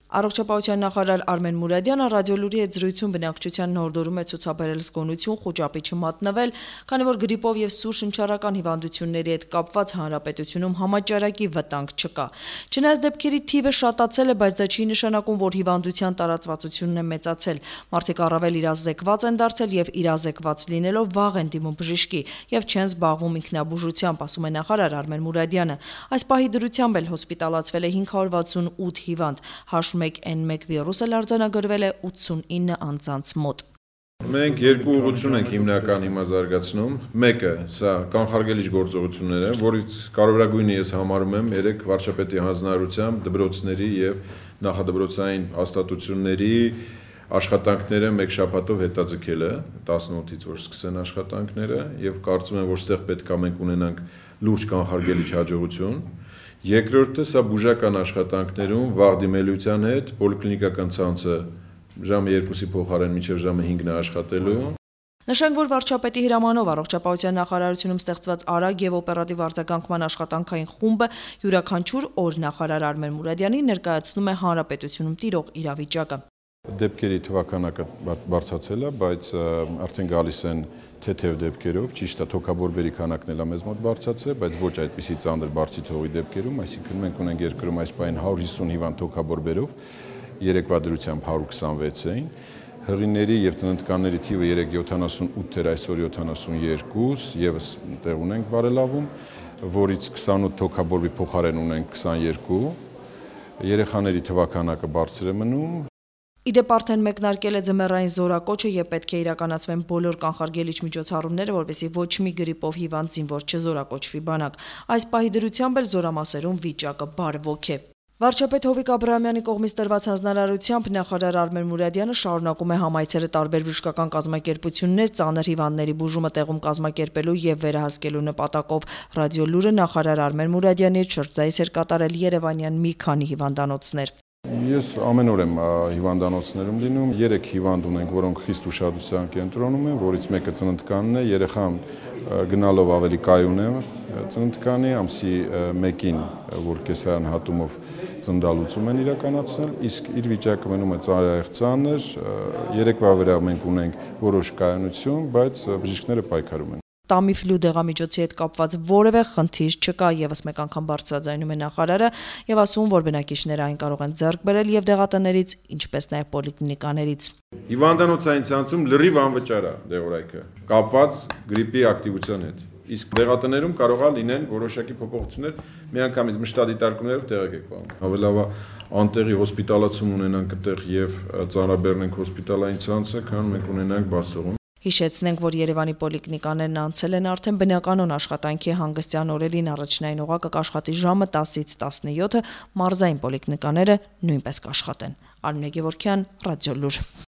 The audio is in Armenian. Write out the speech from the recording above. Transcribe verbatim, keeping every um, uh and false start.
Առողջապահության նախարար Արմեն Մուրադյանը ռադիոլուրի հետ զրույցում բնակչության հորդորում է ցուցաբերել զգոնություն խուճապի չմատնվել, քանի որ գրիպով եւ սուր շնչառական հիվանդությունների հետ կապված հանրապետությունում համաճարակի վտանգ չկա։ Չնայած դեպքերի թիվը շատացել է, բայց դա չի նշանակում, որ հիվանդության տարածվածությունն է մեծացել։ Մարդիկ առավել իրազեկված են դարձել եւ իրազեկված լինելով վաղ են դիմում բժշկի եւ չեն զբաղվում ինքնաբուժությամբ, ասում է նախարար Արմեն Մուրադյանը։ Այս պահի դրությամբ էլ հոսպիտալացվել է հինգ հարյուր վաթսունութ հիվանդ, H one N one վիրուսը արձանագրվել է ութսունինը անձանց մոտ։ Մենք երկու ուղղություն ենք հիմնական հիմա զարգացնում։ Մեկը սա կանխարգելիչ գործողությունները, որից կարևորագույնը ես համարում եմ երեք վարչապետի հանձնարարությամբ դպրոցների եւ նախադպրոցային հաստատությունների աշխատանքները մեկ շաբաթով հետաձգելը, տասնութից որ սկսեն աշխատանքները եւ կարծում եմ, որ ստեղ պետք է մենք ունենանք լուրջ կանխարգելիչ հաջողություն։ Երկրորդը սա բուժական աշխատանքներում վաղ դիմելիության հետ պոլիկլինիկական ցանցը ժամը երկուսի փոխարեն մինչև ժամը հինգն է աշխատելու։ Նշենք, որ վարչապետի հրամանով առողջապահության նախարարությունում ստեղծված արագ եւ օպերատիվ արձագանքման աշխատանքային խումբը յուրաքանչյուր օր նախարար Արմեն Մուրադյանին ներկայացնում է հանրապետությունում տիրող իրավիճակը։ Դեպքերի թվականակը բարձրացել է, բայց արդեն գալիս են թեթև դեպքերով, ճիշտ է, թոքաբորբերի քանակն էլ է մեզ մոտ բարձրացել, բայց ոչ այդպիսի ծանր բարձի թողի դեպքերում, այսինքն մենք ունենք երկրում այս պահին հարյուր հիսուն հիվանդ թոքաբորբերով, երեկվա դրությամբ հարյուր քսանվեց էին, հղիների եւ ծննդկանների թիվը երեկ յոթանասունութ էր, այսօր յոթանասունյոթ, եւս տեղ ունենք բարելավում, որից քսանութ թոքաբորբի փոխարեն ունենք քսաներկու, երեխաների թվականակը բարձր է մնում։ Իդեպ արդեն մեկնարկել է ձմեռային զորակոչը եւ պետք է իրականացվեն բոլոր կանխարգելիչ միջոցառումները, որպեսզի ոչ մի գրիպով հիվանդ զինվոր չզորակոչվի բանակ։ Այս պահի դրությամբ էլ զորամասերում վիճակը բարվոք է։ Վարչապետ Հովիկ Աբրահամյանի կողմից տրված հանձնարարությամբ նախարար Արմեն Մուրադյանը շարունակում է համայցերը տարբեր բժշկական կազմակերպություններ ծանր հիվանդների բուժումը տեղում կազմակերպելու եւ վերահսկելու նպատակով ռադիոլուրը նախարար Արմեն Մուրադյանի հետ շրջայց էր կատարել երևանյան մի քանի հիվանդանոցներ։ Ես ամեն օր եմ հիվանդանոցներում լինում, երեք հիվանդ ունենք, որոնք խիստ ուշադրության կենտրոնում են, որից մեկը ծննդկանն է, երեխան գնալով ավելի կայուն է ծննդկանի, ամսի մեկին, որ կեսարան հատումով ծննդալուծում են իրականացնել, իսկ իր վիճակը մնում է ծանր, երեկվա վրա մենք ունենք որոշ կայունություն, բայց բժիշկները պայքարում են։ Տամիֆլու դեղամիջոցի հետ կապված որևէ խնդիր չկա, եւս մեկ անգամ բարձրաձայնում է նախարարը եւ ասում, որ բնակիչները այն կարող են ձեռք բերել եւ դեղատներից, ինչպես նաեւ պոլիկլինիկաներից։ Հիվանդանոցային ցանցում լրիվ անվճար է դեղորայքը, կապված գրիպի ակտիվության հետ։ Իսկ դեղատներում կարող է լինեն որոշակի փոփոխություններ, միանգամից մշտադիտարկումներով տեղեկ եք պահում։ Ավելավա անտեղի հոսպիտալացում ունենանք այդտեղ եւ ծանրաբեռնենք հոսպիտալային ցանցը, քան մենք ունենանք բացողում։ Հիշեցնենք, որ Երևանի պոլիկլինիկաներն անցել են արդեն բնականոն աշխատանքի հանգստյան օրերին առաջնային օղակը կաշխատի ժամը տասից տասնյոթը, մարզային պոլիկլինիկաները նույնպես կաշխատեն։ Արմինե Գևորգյան, Ռադիոլուր։